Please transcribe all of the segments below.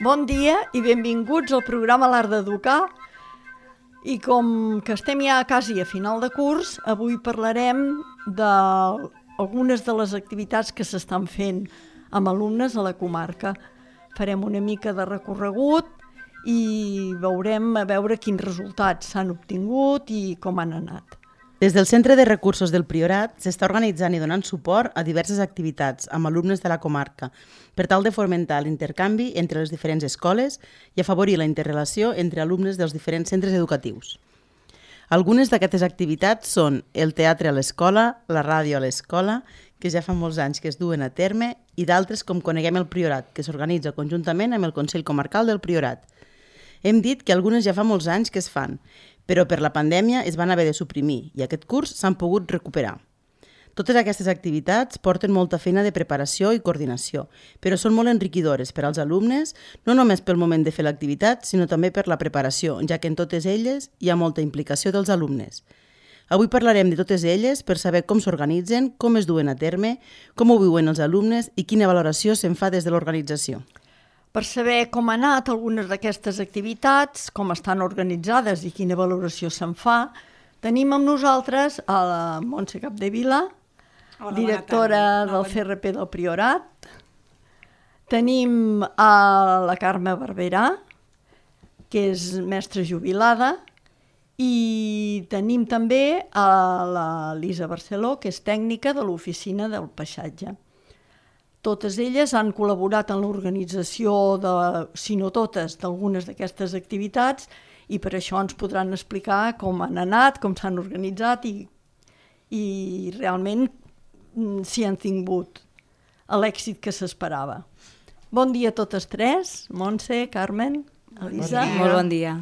Bon dia i benvinguts al programa L'Art d'Educar. I com que estem ja quasi a final de curs, avui parlarem d'algunes de les activitats que s'estan fent amb alumnes a la comarca. Farem una mica de recorregut i veurem a veure quins resultats s'han obtingut i com han anat. Des del Centre de Recursos del Priorat s'està organitzant i donant suport a diverses activitats amb alumnes de la comarca per tal de fomentar l'intercanvi entre les diferents escoles i afavorir la interrelació entre alumnes dels diferents centres educatius. Algunes d'aquestes activitats són el teatre a l'escola, la ràdio a l'escola, que ja fa molts anys que es duen a terme, i d'altres com Coneguem el Priorat, que s'organitza conjuntament amb el Consell Comarcal del Priorat. Hem dit que algunes ja fa molts anys que es fan, però per la pandèmia es van haver de suprimir i aquest curs s'han pogut recuperar. Totes aquestes activitats porten molta feina de preparació i coordinació, però són molt enriquidores per als alumnes, no només pel moment de fer l'activitat, sinó també per la preparació, ja que en totes elles hi ha molta implicació dels alumnes. Avui parlarem de totes elles per saber com s'organitzen, com es duen a terme, com ho viuen els alumnes i quina valoració se'n fa des de l'organització. Per saber com han anat algunes d'aquestes activitats, com estan organitzades i quina valoració se'n fa, tenim amb nosaltres a la Montse Capdevila, directora del CRP del Priorat. Tenim a la Carme Barberà, que és mestra jubilada, i tenim també a la Lisa Barceló, que és tècnica de l'oficina del paisatge. Totes elles han col·laborat en l'organització, si no totes, d'algunes d'aquestes activitats i per això ens podran explicar com han anat, com s'han organitzat i realment si han tingut l'èxit que s'esperava. Bon dia a totes tres, Montse, Carmen, Elisa. Molt bon dia.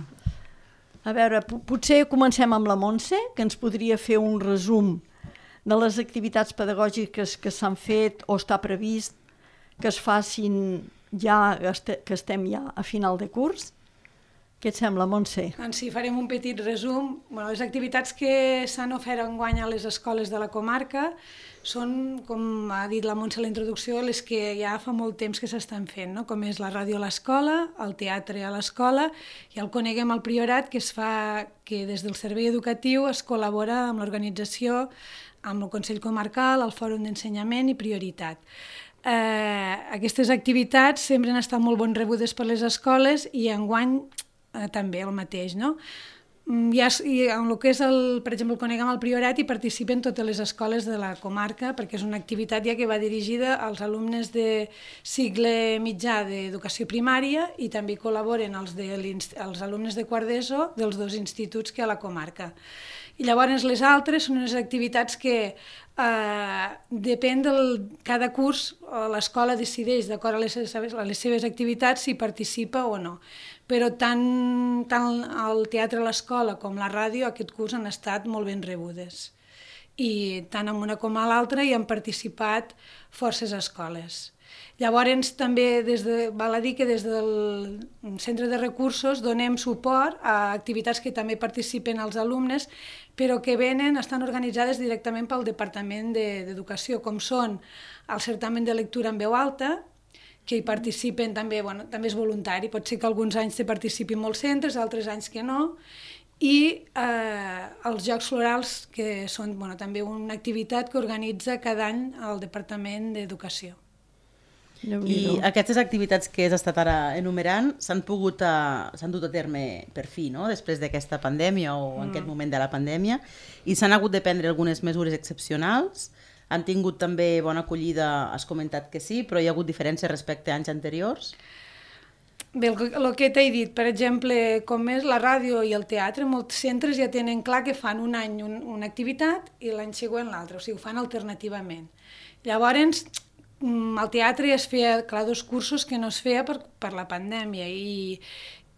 A veure, potser comencem amb la Montse, que ens podria fer un resum de les activitats pedagògiques que s'han fet o està previst que es facin ja, que estem ja a final de curs. Què et sembla, Montse? Doncs sí, farem un petit resum. Les activitats que s'han ofert enguany a les escoles de la comarca són, com ha dit la Montse a la introducció, les que ja fa molt temps que s'estan fent, no? Com és la ràdio a l'escola, el teatre a l'escola i el Coneguem el Priorat, que es fa que des del servei educatiu es col·labora amb l'organització, amb el Consell Comarcal, el Fòrum d'Ensenyament i Prioritat. Aquestes activitats sempre han estat molt ben rebudes per les escoles i enguany també el mateix, no? I en el que és, per exemple, el Coneguem el Priorat hi participen totes les escoles de la comarca perquè és una activitat ja que va dirigida als alumnes de cicle mitjà d'educació primària i també col·laboren els alumnes de quart d'ESO dels dos instituts que hi ha a la comarca. I llavors les altres són unes activitats que depèn cada curs l'escola decideix d'acord a les seves activitats si participa o no. Però tant el teatre a l'escola com la ràdio aquest curs han estat molt ben rebudes. I tant en una com a l'altra hi han participat forces escoles. Llavors també val a dir que des del Centre de Recursos donem suport a activitats que també participen els alumnes però que estan organitzades directament pel Departament d'Educació, com són el certamen de lectura en veu alta, que hi participen també, també és voluntari, pot ser que alguns anys hi participin molts centres, altres anys que no, i els Jocs Florals, que són també una activitat que organitza cada any el Departament d'Educació. I aquestes activitats que has estat ara enumerant s'han dut a terme per fi, no? Després d'aquesta pandèmia o en aquest moment de la pandèmia, i s'han hagut de prendre algunes mesures excepcionals. Han tingut també bona acollida, has comentat que sí, però hi ha hagut diferències respecte a anys anteriors? Bé, el que t'he dit, per exemple, com és la ràdio i el teatre, molts centres ja tenen clar que fan un any una activitat i l'any següent l'altra, o sigui, ho fan alternativament. Llavors, al teatre es feia, clar, 2 cursos que no es feia per la pandèmia i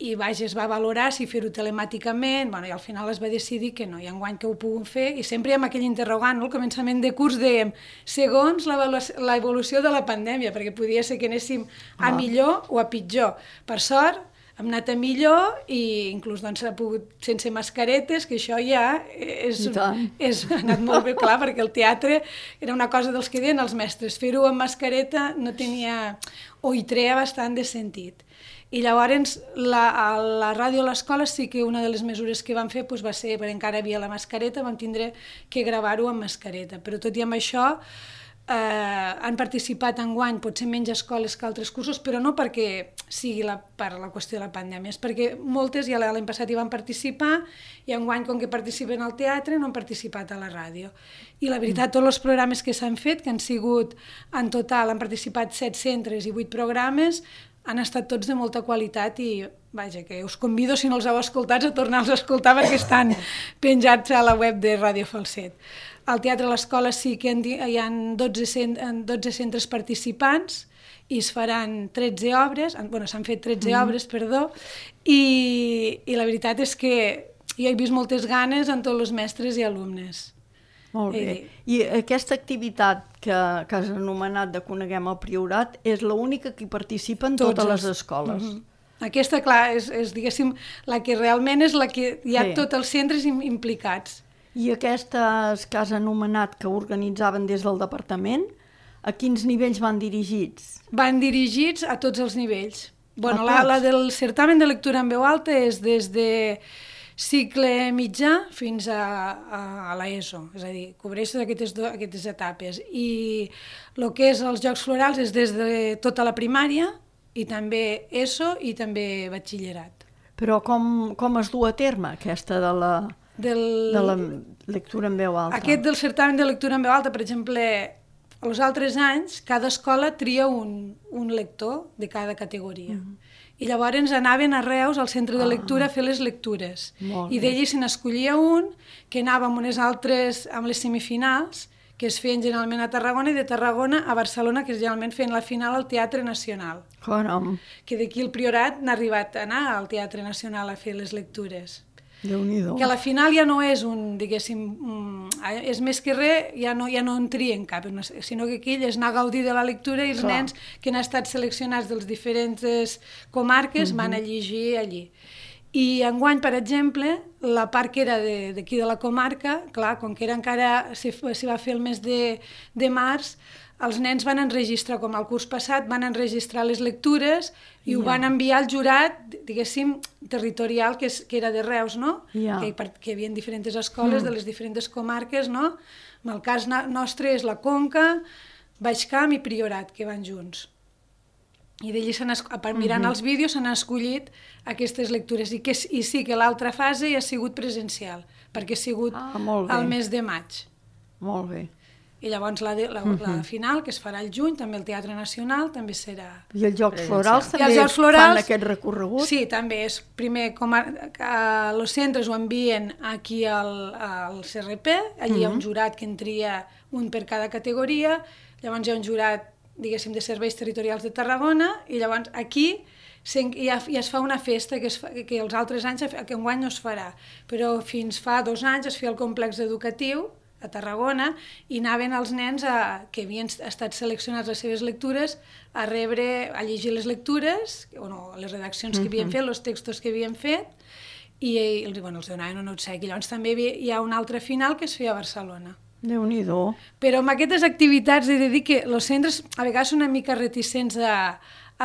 es va valorar si fer-ho telemàticament, i al final es va decidir que no, i enguany que ho puguem fer, i sempre hi ha aquell interrogant, al començament de curs dèiem, segons l'evolució de la pandèmia, perquè podia ser que anéssim a millor o a pitjor. Per sort, hem anat a millor i inclús doncs, ha pogut sense mascaretes, que això ja és anat molt bé, clar, perquè el teatre era una cosa dels que deien els mestres, fer-ho amb mascareta no tenia, o hi treia bastant de sentit. I llavors a la ràdio a l'escola sí que una de les mesures que vam fer doncs, va ser, perquè encara havia la mascareta, vam tindre que gravar-ho amb mascareta, però tot i amb això han participat enguany, potser menys escoles que altres cursos, però no perquè sigui per la qüestió de la pandèmia, és perquè moltes ja l'any passat hi van participar i enguany, com que participen al teatre, no han participat a la ràdio. I la veritat, tots els programes que s'han fet, que han sigut, en total, han participat 7 centres i 8 programes, han estat tots de molta qualitat i, vaja, que us convido, si no els heu escoltats, a tornar-los a escoltar perquè estan penjats a la web de Ràdio Falset. Al Teatre a l'Escola sí que hi ha 12 centres participants i es faran 13 obres, bueno, s'han fet 13 obres, perdó, i la veritat és que jo he vist moltes ganes en tots els mestres i alumnes. Molt bé. I aquesta activitat que has anomenat de Coneguem el Priorat és l'única que hi participen totes les escoles. Aquesta, clar, és diguéssim, la que realment és la que hi ha tots els centres implicats. I aquestes que has anomenat que organitzaven des del departament, a quins nivells van dirigits? Van dirigits a tots els nivells. Bueno, la del certamen de lectura en veu alta és des de cicle mitjà fins a l'ESO, és a dir, cobreix aquestes etapes. I el que és els Jocs Florals és des de tota la primària i també ESO i també batxillerat. Però com es du a terme aquesta de la lectura en veu alta? Aquest del certamen de lectura en veu alta, per exemple, els altres anys, cada escola tria un lector de cada categoria. I llavors anaven a Reus, al centre de lectura, a fer les lectures. I d'ells se n'escollia un, que anava amb unes altres, amb les semifinals, que es feien generalment a Tarragona, i de Tarragona a Barcelona, que generalment feien la final al Teatre Nacional. Caram! Que d'aquí el Priorat n'ha arribat a anar al Teatre Nacional a fer les lectures. Déu-n'hi-do. Que a la final ja no és un, diguéssim, és més que res, ja no en trien cap, sinó que aquí és anar a gaudir de la lectura i els nens que han estat seleccionats dels diferents comarques van a llegir allí. I enguany, per exemple, la part que era d'aquí de la comarca, clar, com que era encara s'hi va fer el mes de març, els nens van enregistrar, com el curs passat, van enregistrar les lectures i ho van enviar al jurat, diguéssim, territorial, que era de Reus, no? Que hi havia diferents escoles de les diferents comarques, no? En el cas nostre és la Conca, Baix Camp i Priorat, que van junts. I d'allí, mirant els vídeos, s'han escollit aquestes lectures. I sí que l'altra fase ja ha sigut presencial, perquè ha sigut al mes de maig. Molt bé. I llavors la final, que es farà al juny, també el Teatre Nacional, també serà... I els Jocs Florals també fan aquest recorregut? Sí, també és primer, els centres ho envien aquí al CRP, allí hi ha un jurat que en tria un per cada categoria, llavors hi ha un jurat, diguéssim, de serveis territorials de Tarragona, i llavors aquí ja es fa una festa que els altres anys, que enguany no es farà, però fins fa 2 anys es feia al complex educatiu, a Tarragona, i anaven els nens que havien estat seleccionats les seves lectures a llegir les lectures, les redaccions que havien fet, els textos que havien fet, i els donaven un obsequi. Llavors també hi ha una altra final que es feia a Barcelona. Déu-n'hi-do. Però amb aquestes activitats he de dir que els centres a vegades són una mica reticents a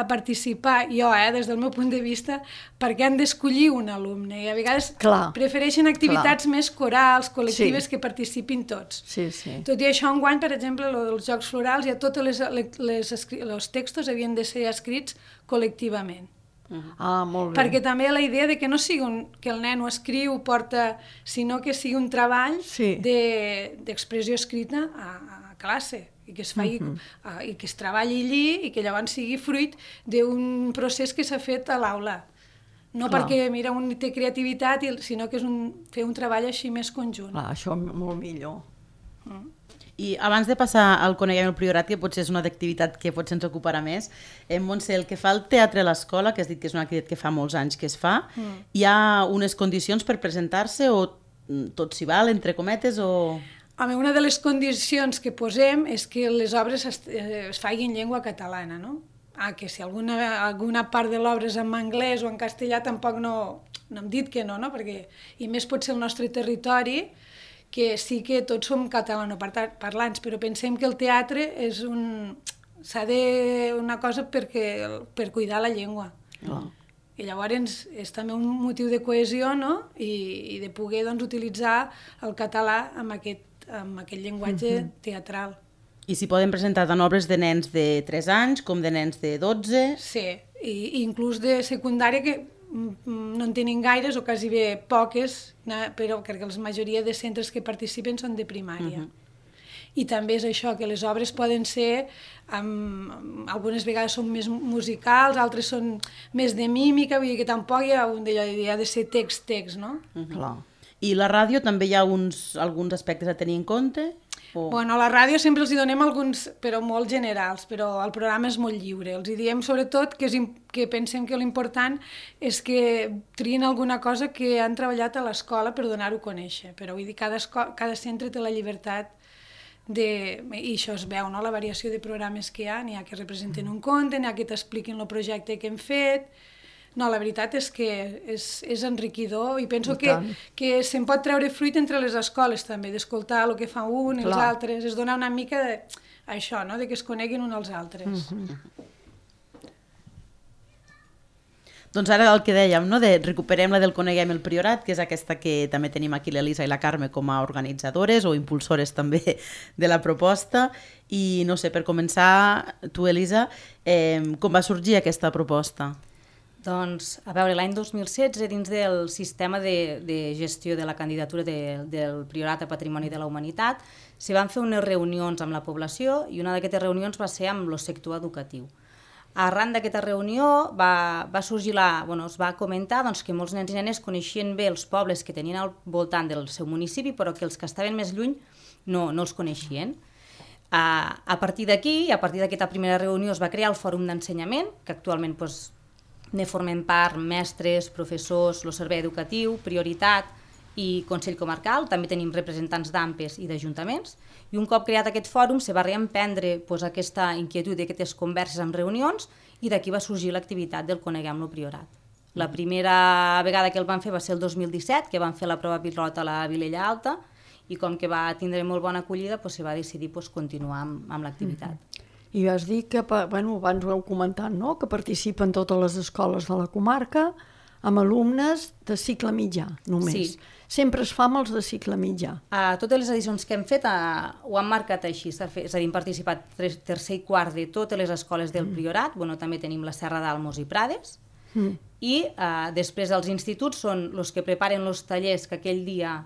participar, jo, des del meu punt de vista, perquè han d'escollir un alumne i a vegades prefereixen activitats més corals, col·lectives, que participin tots. Tot i això, enguany, per exemple, dels Jocs Florals, ja tots els textos havien de ser escrits col·lectivament. Molt bé. Perquè també la idea de que no sigui que el nen ho escriu, porta, sinó que sigui un treball d'expressió escrita a classe, i que es faci, i que es treballi allí i que llavors sigui fruit d'un procés que s'ha fet a l'aula. No perquè, mira, un té creativitat, sinó que és fer un treball així més conjunt. Això molt millor. I abans de passar al Coneguem el Priorat, que potser és una activitat que potser ens ocuparà més, Montse, el que fa el teatre a l'escola, que has dit que és una activitat que fa molts anys que es fa, hi ha unes condicions per presentar-se o tot s'hi val, entre cometes, o... Una de les condicions que posem és que les obres es facin en llengua catalana, no? que si alguna part de l'obra és en anglès o en castellà tampoc no hem dit que no, perquè i més pot ser el nostre territori, que sí que tots som catalanoparlants, però pensem que el teatre és una cosa per cuidar la llengua. I llavors és també un motiu de cohesió, no? I de poder utilitzar el català amb aquest llenguatge teatral. I s'hi poden presentar tant obres de nens de 3 anys com de nens de 12? Sí, i inclús de secundària, que no en tenen gaires o quasi bé poques, però perquè la majoria de centres que participen són de primària. I també és això, que les obres poden ser, algunes vegades són més musicals, altres són més de mímica, vull dir que tampoc hi ha de ser text, no? Clar. I la ràdio també hi ha alguns aspectes a tenir en compte? Bueno, a la ràdio sempre els hi donem alguns, però molt generals, però el programa és molt lliure. Els hi diem sobretot que pensem que l'important és que trien alguna cosa que han treballat a l'escola per donar-ho a conèixer. Però vull dir, cada centre té la llibertat i això es veu, no? La variació de programes que hi ha, n'hi ha que representen un conte, n'hi ha que t'expliquin el projecte que hem fet. No, la veritat és que és enriquidor i penso que se'n pot treure fruit entre les escoles també, d'escoltar el que fa un i els altres, és donar una mica això, no? De que es coneguin uns als altres. Doncs ara el que dèiem, no? Recuperem la del Coneguem el Priorat, que és aquesta que també tenim aquí l'Elisa i la Carme com a organitzadores o impulsores també de la proposta. I no sé, per començar, tu, Elisa, com va sorgir aquesta proposta? Doncs, a veure, l'any 2016, dins del sistema de gestió de la candidatura del Priorat a Patrimoni de la Humanitat, s'hi van fer unes reunions amb la població i una d'aquestes reunions va ser amb el sector educatiu. Arran d'aquesta reunió va sorgir es va comentar que molts nens i nenes coneixien bé els pobles que tenien al voltant del seu municipi, però que els que estaven més lluny no els coneixien. A partir d'aquí, a partir d'aquesta primera reunió, es va crear el Fòrum d'Ensenyament, que actualment ne formen part mestres, professors, el servei educatiu, Prioritat i Consell Comarcal. També tenim representants d'AMPES i d'ajuntaments. I un cop creat aquest fòrum, se va reemprendre aquesta inquietud d'aquestes converses en reunions i d'aquí va sorgir l'activitat del Coneguem-lo Priorat. La primera vegada que el van fer va ser el 2017, que van fer la prova pilot a la Vilella Alta i com que va tindre molt bona acollida, se va decidir continuar amb l'activitat. I vas dir que, abans ho heu comentat, no? Que participen totes les escoles de la comarca amb alumnes de cicle mitjà, només. Sí. Sempre es fa amb els de cicle mitjà. A totes les edicions que hem fet ho han marcat així, és a dir, hem participat tercer i quart de totes les escoles del Priorat, també tenim la Serra d'Almos i Prades, i després els instituts són els que preparen els tallers que aquell dia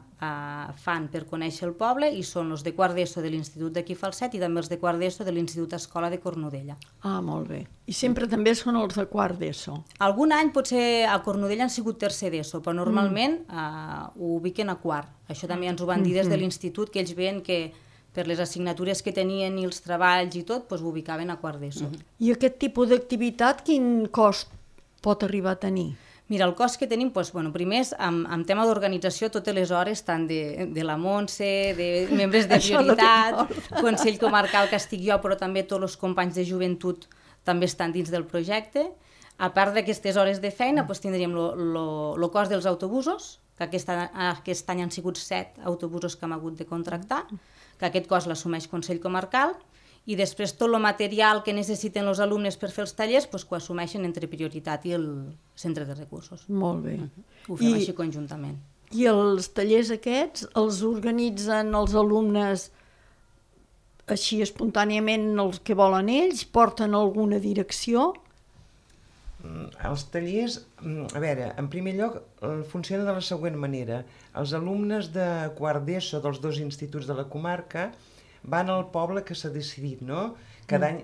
fan per conèixer el poble i són els de quart d'ESO de l'Institut d'aquí Falset i també els de quart d'ESO de l'Institut Escola de Cornudella. Ah, molt bé. I sempre també són els de quart d'ESO? Algun any potser a Cornudella han sigut tercer d'ESO, però normalment ho ubiquen a quart. Això també ens ho van dir des de l'Institut, que ells veien que per les assignatures que tenien i els treballs i tot, ho ubicaven a quart d'ESO. I aquest tipus d'activitat, quin cost pot arribar a tenir? Mira, el cost que tenim, primer és en tema d'organització totes les hores, tant de la Montse, de membres de Prioritat, Consell Comarcal que estic jo, però també tots els companys de joventut també estan dins del projecte. A part d'aquestes hores de feina, tindríem el cost dels autobusos, que aquest any han sigut 7 autobusos que hem hagut de contractar, que aquest cost l'assumeix Consell Comarcal, i després tot el material que necessiten els alumnes per fer els tallers que ho assumeixen entre Prioritat i el Centre de Recursos. Molt bé. Ho fem així conjuntament. I els tallers aquests els organitzen els alumnes així espontàniament els que volen ells? Porten alguna direcció? Els tallers, a veure, en primer lloc funcionen de la següent manera. Els alumnes de quart d'ESO dels 2 instituts de la comarca van al poble que s'ha decidit, no? Cada any,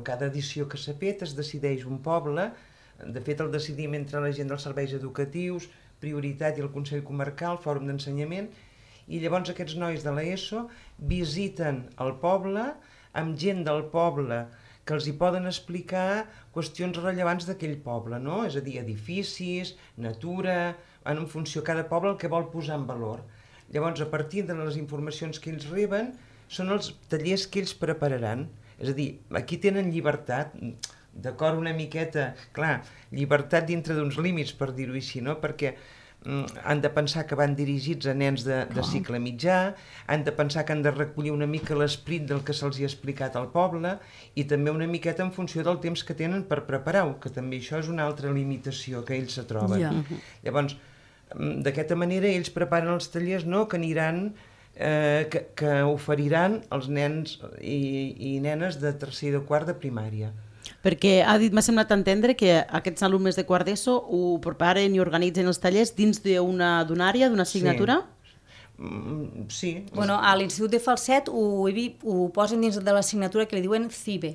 cada edició que s'ha fet es decideix un poble, de fet el decidim entre la gent dels serveis educatius, Prioritat i el Consell Comarcal, Fòrum d'Ensenyament, i llavors aquests nois de l'ESO visiten el poble amb gent del poble que els hi poden explicar qüestions rellevants d'aquell poble, no? És a dir, edificis, natura, en funció de cada poble el que vol posar en valor. Llavors, a partir de les informacions que ells reben, són els tallers que ells prepararan. És a dir, aquí tenen llibertat, d'acord una miqueta, clar, llibertat dintre d'uns límits, per dir-ho així, no? Perquè han de pensar que van dirigits a nens de cicle mitjà, han de pensar que han de recollir una mica l'esperit del que se'ls ha explicat al poble i també una miqueta en funció del temps que tenen per preparar-ho, que també això és una altra limitació que ells se troben. Llavors, d'aquesta manera ells preparen els tallers, no?, que aniran, que oferiran als nens i nenes de tercer i de quart de primària. Perquè m'ha semblat entendre que aquests alumnes de quart d'ESO ho preparen i organitzen els tallers dins d'una àrea, d'una assignatura? Sí. Bueno, a l'Institut de Falset ho posen dins de l'assignatura que li diuen CIBE,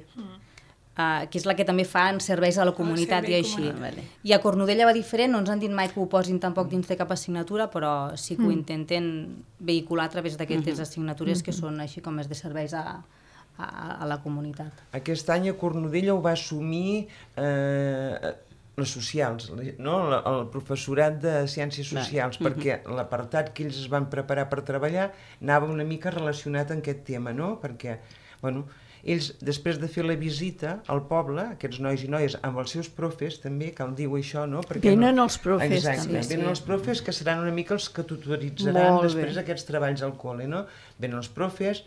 que és la que també fan serveis a la comunitat i així. I a Cornudella va diferent, no ens han dit mai que ho posin tampoc dins de cap assignatura, però sí que ho intenten vehicular a través d'aquestes assignatures que són així com és de serveis a la comunitat. Aquest any a Cornudella ho va assumir les socials, no? El professorat de Ciències Socials, perquè l'apartat que ells es van preparar per treballar anava una mica relacionat amb aquest tema, no? Perquè, bueno, ells, després de fer la visita al poble, aquests nois i noies, amb els seus profes, també, cal dir-ho això, no? Venen els profes, exacte, també. Venen els profes, que seran una mica els que tutoritzaran després aquests treballs al col·le, no? Venen els profes,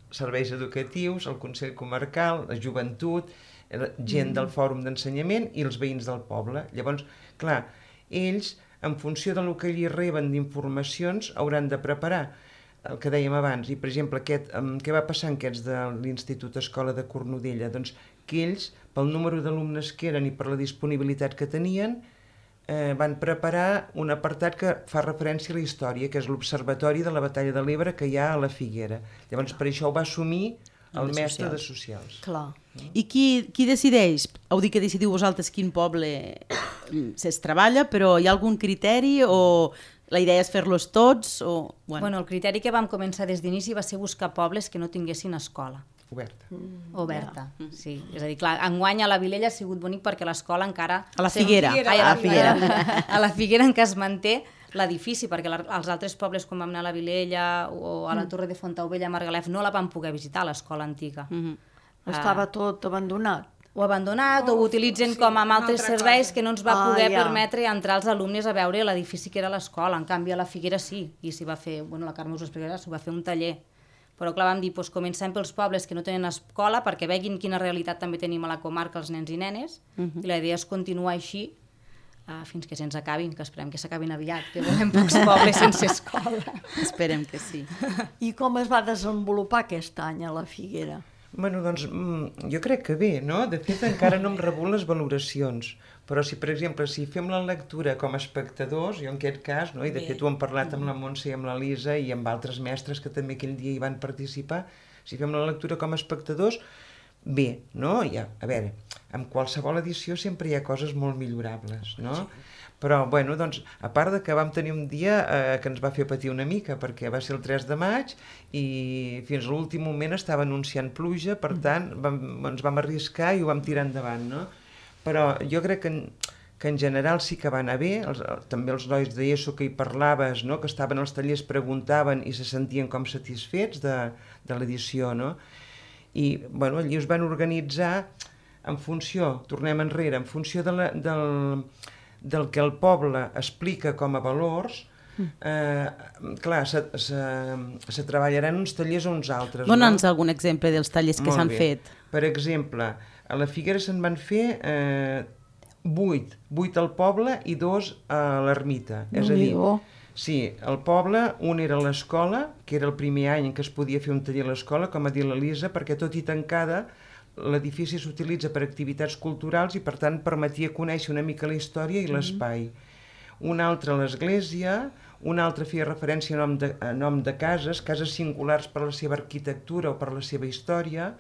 serveis educatius, el Consell Comarcal, la joventut, gent del Fòrum d'Ensenyament i els veïns del poble. Llavors, clar, ells, en funció del que ells reben d'informacions, hauran de preparar el que dèiem abans. I, per exemple, què va passar amb aquests de l'Institut Escola de Cornudella? Doncs que ells, pel número d'alumnes que eren i per la disponibilitat que tenien, van preparar un apartat que fa referència a la història, que és l'Observatori de la Batalla de l'Ebre que hi ha a la Figuera. Llavors, per això ho va assumir el mestre de Socials. Clar. I qui decideix? Heu dit que decidiu vosaltres quin poble es treballa, però hi ha algun criteri o la idea és fer-los tots? Bueno, el criteri que vam començar des d'inici va ser buscar pobles que no tinguessin escola. Oberta, sí. És a dir, clar, enguany a la Vilella ha sigut bonic perquè l'escola encara... A la Figuera. A la Figuera encara es manté l'edifici, perquè als altres pobles, com vam anar a la Vilella o a la Torre de Fontaubella, a Margalef, no la vam poder visitar, l'escola antiga. Estava tot abandonat. O abandonat, o ho utilitzen com amb altres serveis que no ens va poder permetre entrar els alumnes a veure l'edifici que era l'escola. En canvi, a la Figuera sí, i s'hi va fer, bueno, la Carme us ho explicarà, s'hi va fer un taller. Però clar, vam dir, doncs comencem pels pobles que no tenen escola perquè veguin quina realitat també tenim a la comarca els nens i nenes, i la idea és continuar així fins que se'ns acabin, que esperem que s'acabin aviat, que volem pocs pobles sense escola. Esperem que sí. I com es va desenvolupar aquest any a la Figuera? Bueno, doncs, jo crec que bé, no? De fet, encara no hem rebut les valoracions, però si, per exemple, si fem la lectura com a espectadors, jo en aquest cas, no? I de fet ho hem parlat amb la Montse i amb la Lisa i amb altres mestres que també aquell dia hi van participar, si fem la lectura com a espectadors, bé, no? A veure, en qualsevol edició sempre hi ha coses molt millorables, no? Però, bueno, doncs, a part de que vam tenir un dia que ens va fer patir una mica, perquè va ser el 3 de maig i fins a l'últim moment estava anunciant pluja, per tant, ens vam arriscar i ho vam tirar endavant, no? Però jo crec que en general sí que va anar bé, també els nois d'ESO que hi parlaves, no? Que estaven als tallers, preguntaven i se sentien com satisfets de l'edició, no? I, bueno, allí es van organitzar en funció, tornem enrere, en funció del que el poble explica com a valors, clar, se treballaran uns tallers o uns altres. Dóna'ns algun exemple dels tallers que s'han fet. Per exemple, a la Figuera se'n van fer 8 al poble i 2 a l'ermita. És a dir, sí, al poble un era l'escola, que era el primer any en què es podia fer un taller a l'escola, com ha dit la Lisa, perquè tot i tancada l'edifici s'utilitza per activitats culturals i per tant permetia conèixer una mica la història i l'espai. Un altre a l'església, un altre feia referència a nom de cases singulars per la seva arquitectura o per la seva història,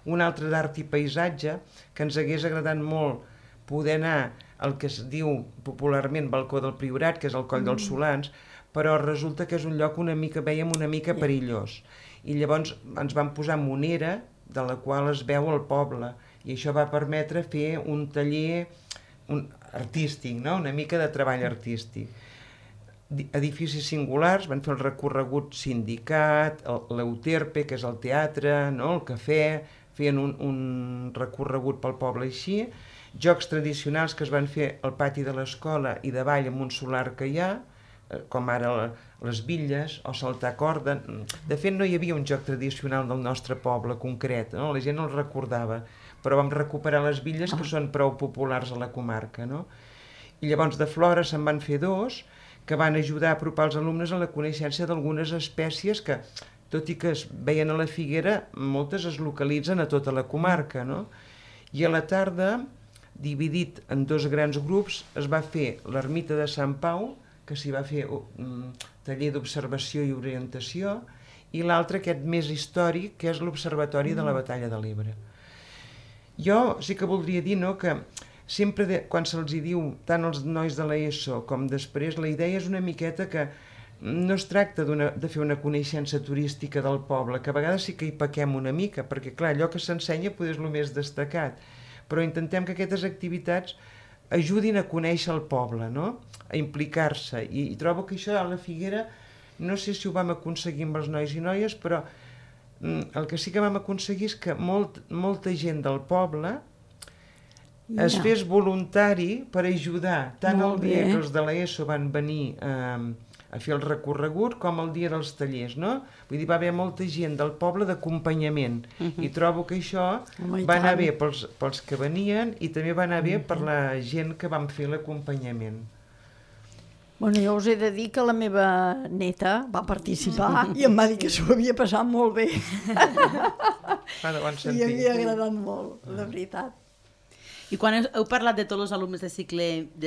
un altre d'art i paisatge, que ens hagués agradat molt poder anar al que es diu popularment Balcó del Priorat, que és el Coll dels Solans, però resulta que és un lloc veiem una mica perillós. I llavors ens vam posar monera, de la qual es veu el poble, i això va permetre fer un taller artístic, no? Una mica de treball artístic. Edificis singulars, van fer el recorregut sindicat, l'Euterpe, que és el teatre, no? El cafè, feien un recorregut pel poble així, jocs tradicionals que es van fer al pati de l'escola i davall amb un solar que hi ha, com ara les bitlles o saltar corda. De fet, no hi havia un joc tradicional del nostre poble concret, no? La gent no el recordava, però vam recuperar les bitlles que són prou populars a la comarca, no? I llavors de flora se'n van fer 2 que van ajudar a apropar els alumnes a la coneixença d'algunes espècies que, tot i que es veien a la Figuera, moltes es localitzen a tota la comarca, no? I a la tarda, dividit en 2 grans grups, es va fer l'ermita de Sant Pau, que s'hi va fer un taller d'observació i orientació, i l'altre, aquest més històric, que és l'Observatori de la Batalla de l'Ebre. Jo sí que voldria dir, no, que sempre quan se'ls diu tant als nois de l'ESO com després, la idea és una miqueta que no es tracta de fer una coneixença turística del poble, que a vegades sí que hi pequem una mica, perquè clar, allò que s'ensenya potser és el més destacat, però intentem que aquestes activitats ajudin a conèixer el poble, no? A implicar-se, i trobo que això a la Figuera, no sé si ho vam aconseguir amb els nois i noies, però el que sí que vam aconseguir és que molta gent del poble es fes voluntari per ajudar, tant el dia que els de l'ESO van venir a fer el recorregut com el dia dels tallers, no? Vull dir, va haver molta gent del poble d'acompanyament, i trobo que això va anar bé pels que venien i també va anar bé per la gent que van fer l'acompanyament. Bueno, jo us he de dir que la meva neta va participar i em va dir que s'ho havia passat molt bé. De bon sentit. I havia agradat molt, la veritat. I quan heu parlat de tots els alumnes de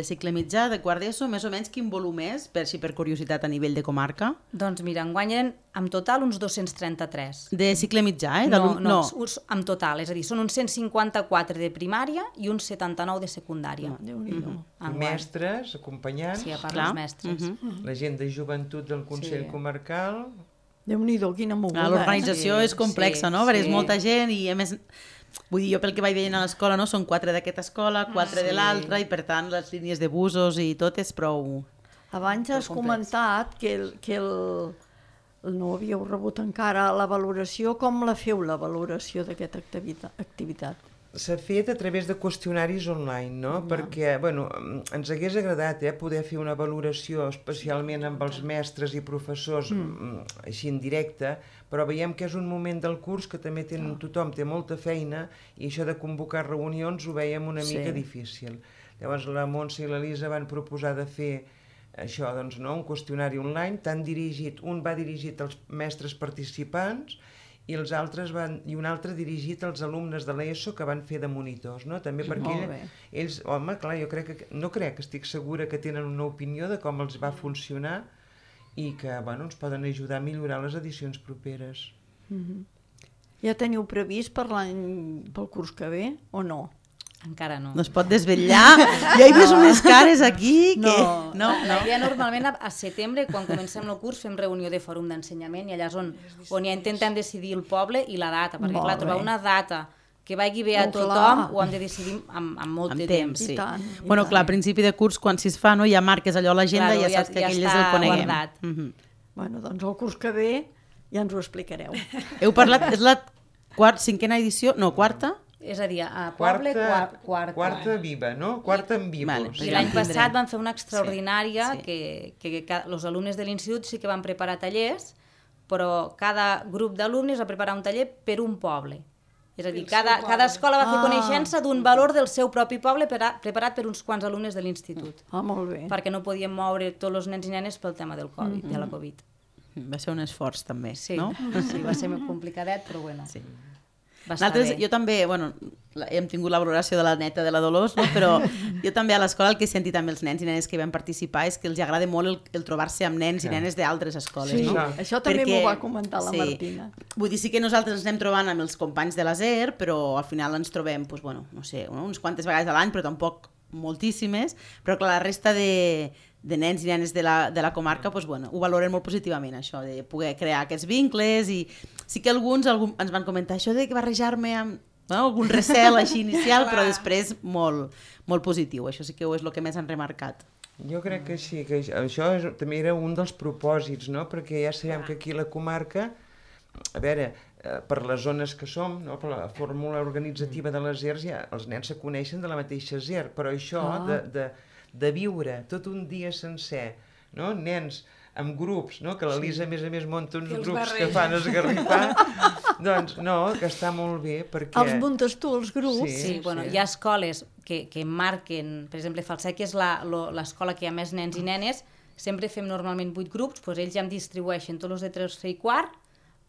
cicle mitjà, de quart d'ESO, més o menys quin volum és, per curiositat a nivell de comarca? Doncs mira, enguanyen en total uns 233. De cicle mitjà, eh? No, en total, és a dir, són uns 154 de primària i uns 79 de secundària. Déu-n'hi-do. Mestres, acompanyants, sí, a part dels mestres. la gent de joventut del Consell Comarcal. Déu-n'hi-do, quina moguda. L'organització és complexa, no? Perquè és molta gent i, a més, vull dir, jo pel que vaig veient a l'escola, no? Són 4 d'aquesta escola, 4 de l'altra, i per tant les línies de busos i tot és prou... Abans has comentat que no havíeu rebut encara la valoració. Com la feu, la valoració d'aquesta activitat? S'ha fet a través de qüestionaris online, no? Perquè, bueno, ens hagués agradat poder fer una valoració especialment amb els mestres i professors així en directe, però veiem que és un moment del curs que també tothom té molta feina i això de convocar reunions ho veiem una mica difícil. Llavors la Montse i l'Elisa van proposar de fer això, doncs, no? Un qüestionari online, un va dirigit als mestres participants i un altre dirigit als alumnes de l'ESO que van fer de monitors, no? També perquè ells, home, clar, estic segura que tenen una opinió de com els va funcionar i que, bueno, ens poden ajudar a millorar les edicions properes. Ja teniu previst pel curs que ve o no? Encara no. No es pot desvetllar. Ja he vist unes cares aquí que... No. La idea normalment a setembre, quan comencem el curs, fem reunió de fòrum d'ensenyament i allà és on ja intentem decidir el poble i la data, perquè clar, trobar una data que vagi bé a tothom ho hem de decidir amb molt de temps. Sí. Bueno, clar, a principi de curs, quan s'hi fa, ja marques allò a l'agenda i ja saps que aquell és el coneguem. Bueno, doncs el curs que ve ja ens ho explicareu. Heu parlat, és la cinquena edició, no, quarta? És a dir, a poble, quarta. Quarta viva, no? Quarta en vivos. I l'any passat van fer una extraordinària que els alumnes de l'institut sí que van preparar tallers, però cada grup d'alumnes va preparar un taller per un poble. És a dir, cada escola va fer coneixença d'un valor del seu propi poble preparat per uns quants alumnes de l'institut. Molt bé. Perquè no podien moure tots els nens i nenes pel tema del Covid, de la Covid. Va ser un esforç també, no? Sí, va ser complicadet, però bueno. Sí. Jo també, bueno, hem tingut la valoració de la neta de la Dolors, no? Però jo també a l'escola el que he sentit amb els nens i nenes que van participar és que els agrada molt el trobar-se amb nens i nenes d'altres escoles. Sí, no? Això també m'ho va comentar la Martina. Vull dir, sí que nosaltres ens anem trobant amb els companys de l'ASER, però al final ens trobem, doncs, bueno, no sé, uns quantes vegades a l'any, però tampoc moltíssimes, però clar, la resta de nens i nenes de la comarca, doncs, bueno, ho valoren molt positivament, això, de poder crear aquests vincles, i sí que alguns ens van comentar això de barrejar-me amb algun recel així inicial, però després molt, molt positiu, això sí que és el que més han remarcat. Jo crec que sí, que això també era un dels propòsits, no? Perquè ja sabem que aquí a la comarca, a veure, per les zones que som, no? Per la fórmula organitzativa de les ERS, ja els nens se coneixen de la mateixa ZER, però això de viure tot un dia sencer, no? Nens amb grups, no? Que l'Elisa a més munta uns grups que fan esgarrifar, doncs no, que està molt bé perquè... Els muntes tu, els grups? Sí, bueno, hi ha escoles que marquen, per exemple, Falset, que és l'escola que hi ha més nens i nenes, sempre fem normalment 8 grups, doncs ells ja em distribueixen tots els de 3 i quart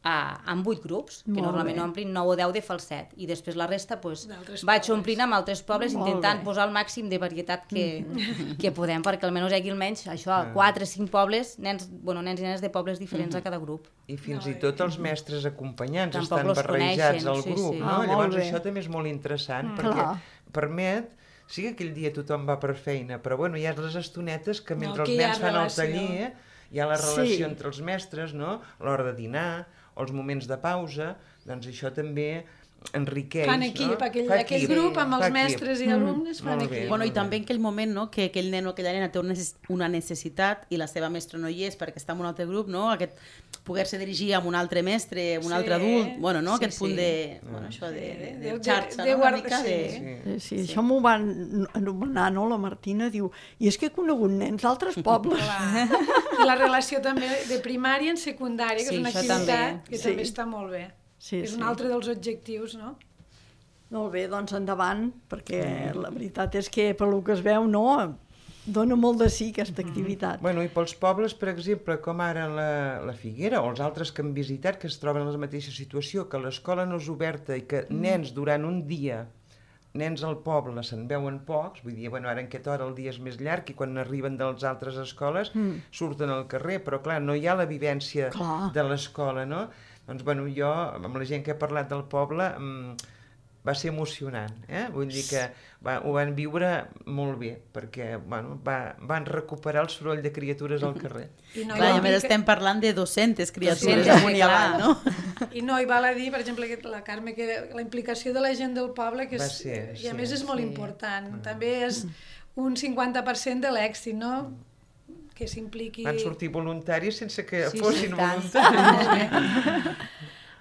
amb 8 grups, que normalment omplin 9 o 10 de falset, i després la resta vaig omplint amb altres pobles intentant posar el màxim de varietat que podem, perquè almenys hi hagi almenys això, 4 o 5 pobles, nens i nenes de pobles diferents a cada grup. I fins i tot els mestres acompanyants estan barrejats al grup, no? Llavors això també és molt interessant, perquè permet... Sí que aquell dia tothom va per feina, però bueno, hi ha les estonetes que mentre els nens fan el taller hi ha la relació entre els mestres, no? L'hora de dinar, o els moments de pausa, doncs això també enriqueix. Fan equip, aquell grup amb els mestres i alumnes fan equip. Bueno, i també en aquell moment, no?, que aquell nen o aquella nena té una necessitat i la seva mestra no hi és perquè està en un altre grup, no?, poder-se dirigir a un altre mestre, un altre adult, bueno, no?, aquest punt de xarxa, no?, una mica de... Sí, això m'ho van anomenar, no?, la Martina, diu, i és que he conegut nens d'altres pobles. I la relació també de primària en secundària, que és una activitat que també està molt bé. És un altre dels objectius, no? Molt bé, doncs endavant, perquè la veritat és que pel que es veu, no, dona molt de sí aquesta activitat. Bueno, i pels pobles, per exemple, com ara la Figuera o els altres que hem visitat, que es troben en la mateixa situació, que l'escola no és oberta i que nens durant un dia, nens al poble se'n veuen pocs, vull dir, bueno, ara en aquesta hora el dia és més llarg i quan arriben de les altres escoles surten al carrer, però clar, no hi ha la vivència de l'escola, no? Doncs, bueno, jo, amb la gent que he parlat del poble, va ser emocionant, Vull dir que ho van viure molt bé, perquè, bueno, van recuperar el soroll de criatures al carrer. I a més estem parlant de 200 criatures amunt i avall, no? I no, i val a dir, per exemple, la Carme, que la implicació de la gent del poble, que i a més és molt important, també és un 50% de l'èxit, no?, que s'impliqui... Van sortir voluntaris sense que fossin voluntaris.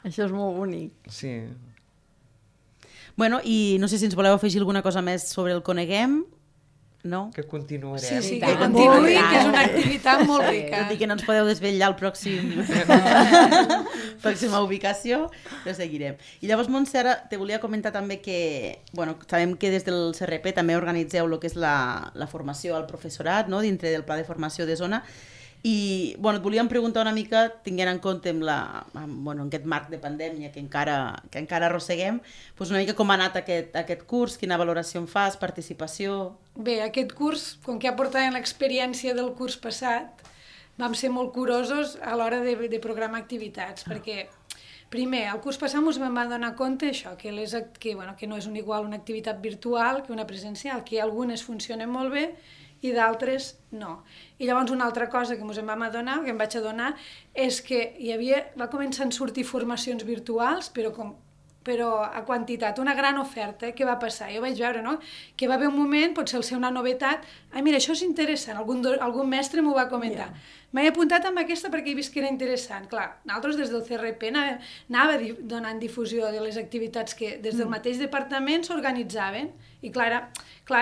Això és molt bonic. Sí. Bueno, i no sé si ens voleu afegir alguna cosa més sobre el Coneguem, no? Que continuarem. Sí, que continuï, que és una activitat molt rica. Tot i que no ens podeu desvetllar el pròxima ubicació, però seguirem. I llavors, Montse, ara te volia comentar també que, bueno, sabem que des del CRP també organitzeu el que és la formació al professorat, no?, dintre del pla de formació de zona. I, bueno, et volíem preguntar una mica, tinguent en compte en aquest marc de pandèmia que encara arrosseguem, doncs una mica com ha anat aquest curs, quina valoració en fas, participació... Bé, aquest curs, com que ja portàvem l'experiència del curs passat, vam ser molt curosos a l'hora de programar activitats, perquè, primer, el curs passat ens vam donar compte això, que no és igual una activitat virtual que una presencial, que algunes funcionen molt bé i d'altres no. I llavors una altra cosa que ens vam adonar, que em vaig adonar, és que va començar a sortir formacions virtuals, però a quantitat, una gran oferta. Què va passar? Jo vaig veure, no?, que va haver un moment, potser ser una novetat, mira, això és interessant, algun mestre m'ho va comentar. M'he apuntat amb aquesta perquè he vist que era interessant. Clar, nosaltres des del CRP anava donant difusió de les activitats que des del mateix departament s'organitzaven, i clar,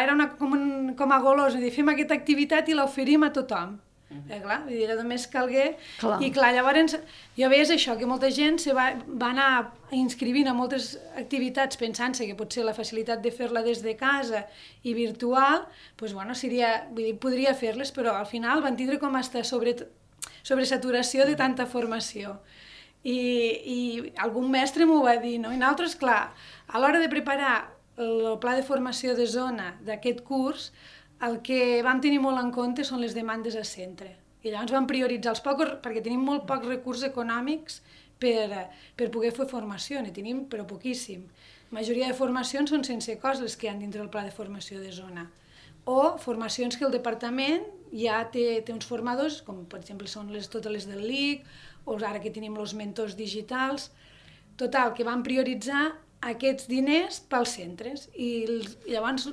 era com a golós, fem aquesta activitat i l'oferim a tothom. Clar, només calgué. I clar, llavors jo veies això, que molta gent va anar inscrivint a moltes activitats pensant-se que potser la facilitat de fer-la des de casa i virtual, doncs bueno, podria fer-les, però al final van tindre com a sobresaturació de tanta formació. I algun mestre m'ho va dir, no? I nosaltres, clar, a l'hora de preparar el pla de formació de zona d'aquest curs, el que vam tenir molt en compte són les demandes a centre. I llavors vam prioritzar els pocs, perquè tenim molt pocs recursos econòmics per poder fer formació, ne tenim però poquíssim. La majoria de formacions són sense cost les que hi ha dintre del pla de formació de zona. O formacions que el departament ja té uns formadors, com per exemple són totes les del LIC, o ara que tenim els mentors digitals. Total, que vam prioritzar aquests diners pels centres. I llavors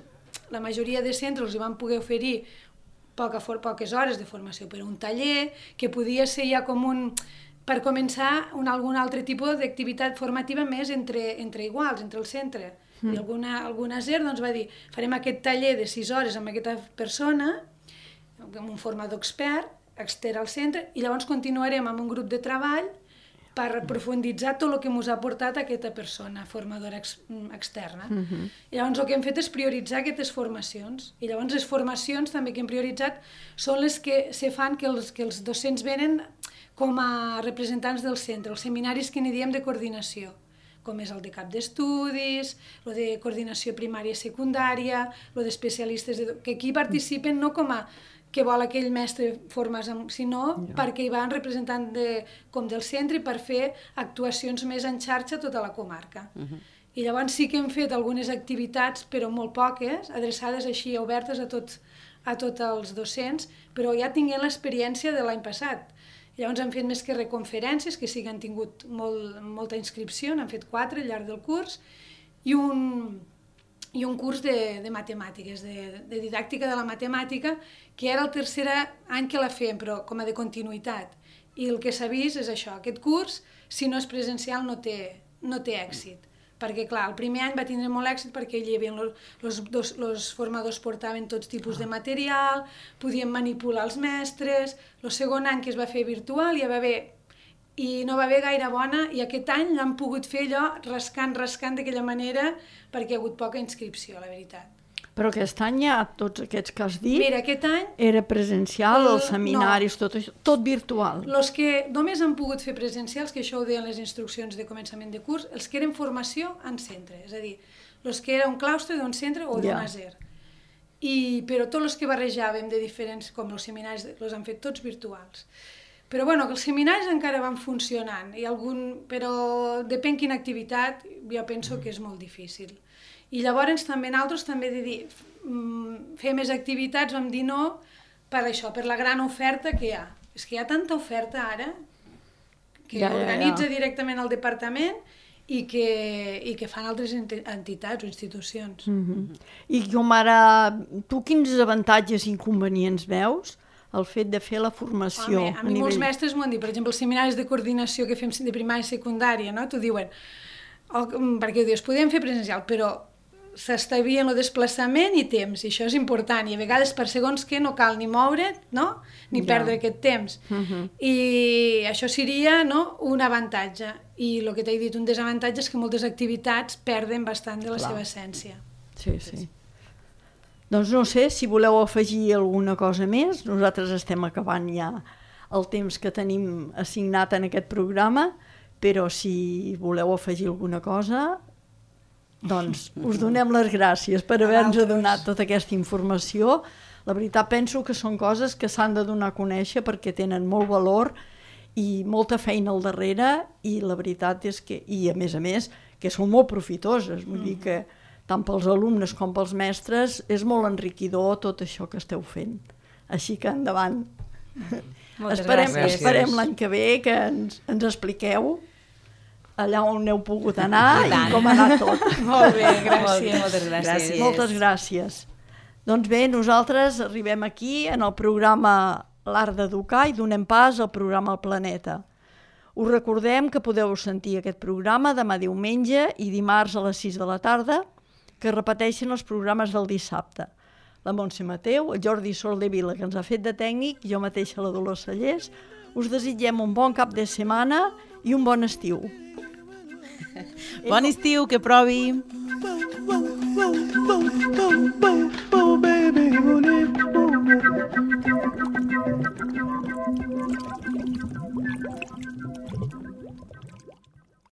la majoria de centres els van poder oferir poques hores de formació per un taller, que podia ser ja com per començar algun altre tipus d'activitat formativa més entre iguals, entre el centre. I alguna SER doncs, va dir, farem aquest taller de 6 hores amb aquesta persona, amb un formador extern al centre, i llavors continuarem amb un grup de treball per profunditzar tot el que ens ha portat aquesta persona formadora externa. I llavors el que hem fet és prioritzar aquestes formacions. I llavors les formacions també que hem prioritzat són les que se fan que els docents venen com a representants del centre, els seminaris que n'hi diem de coordinació, com és el de cap d'estudis, el de coordinació primària i secundària, el d'especialistes, que aquí participen no com a que vol aquell mestre formar, sinó perquè hi van representant com del centre i per fer actuacions més en xarxa a tota la comarca. I llavors sí que hem fet algunes activitats, però molt poques, adreçades així, obertes a tots els docents, però ja tinguent l'experiència de l'any passat. Llavors hem fet més que reconferències, que sí que han tingut molta inscripció, n'han fet 4 al llarg del curs, i un curs de matemàtiques, de didàctica de la matemàtica, que era el tercer any que la fem, però com a de continuïtat. I el que s'ha vist és això, aquest curs, si no és presencial, no té èxit. Perquè, clar, el primer any va tindre molt èxit perquè hi havia els formadors portaven tots tipus de material, podien manipular els mestres, el segon any que es va fer virtual i no va haver gaire bona, i aquest any l'han pogut fer allò rascant d'aquella manera perquè hi ha hagut poca inscripció, la veritat. Però aquest any ja tots aquests que has dit... Mira, aquest any... Era presencial, els seminaris, tot això, tot virtual. Els que només han pogut fer presencials, que això ho deien les instruccions de començament de curs, els que eren formació en centre, és a dir, els que era un claustre d'un centre o d'una SER. Però tots els que barrejàvem de diferents, com els seminaris, els han fet tots virtuals. Però bueno, que els seminaris encara van funcionant, però depèn quina activitat, jo penso que és molt difícil. I llavors també nosaltres també de dir, fer més activitats, vam dir no per això, per la gran oferta que hi ha. És que hi ha tanta oferta ara que organitza directament el departament i que fan altres entitats o institucions. I com ara, tu quins avantatges i inconvenients veus el fet de fer la formació? Home, a mi molts mestres m'ho han dit, per exemple, els seminaris de coordinació que fem de primària i secundària, no? T'ho diuen, perquè ho dius, podem fer presencial, però s'estalvien el desplaçament i temps, i això és important, i a vegades per segons que no cal ni moure't, no? Ni perdre aquest temps. I això seria un avantatge. I el que t'he dit, un desavantatge és que moltes activitats perden bastant de la seva essència. Sí. Doncs no sé si voleu afegir alguna cosa més. Nosaltres estem acabant ja el temps que tenim assignat en aquest programa, però si voleu afegir alguna cosa, doncs us donem les gràcies per haver-nos donat tota aquesta informació. La veritat penso que són coses que s'han de donar a conèixer perquè tenen molt valor i molta feina al darrere, i la veritat és que, i a més, que són molt profitoses. Vull dir que tant pels alumnes com pels mestres és molt enriquidor tot això que esteu fent. Així que endavant. Esperem l'any que ve que ens expliqueu allà on heu pogut anar i com ha anat tot. Molt bé, gràcies. Moltes gràcies. Moltes gràcies. Doncs bé, nosaltres arribem aquí en el programa L'Art d'Educar i donem pas al programa El Planeta. Us recordem que podeu sentir aquest programa demà diumenge i dimarts a les 6 de la tarda, que repeteixen els programes del dissabte. La Montse Mateu, el Jordi Soldevila, que ens ha fet de tècnic, jo mateixa la Dolors Sallés, us desitgem un bon cap de setmana i un bon estiu. Bon estiu, que provi! Baby,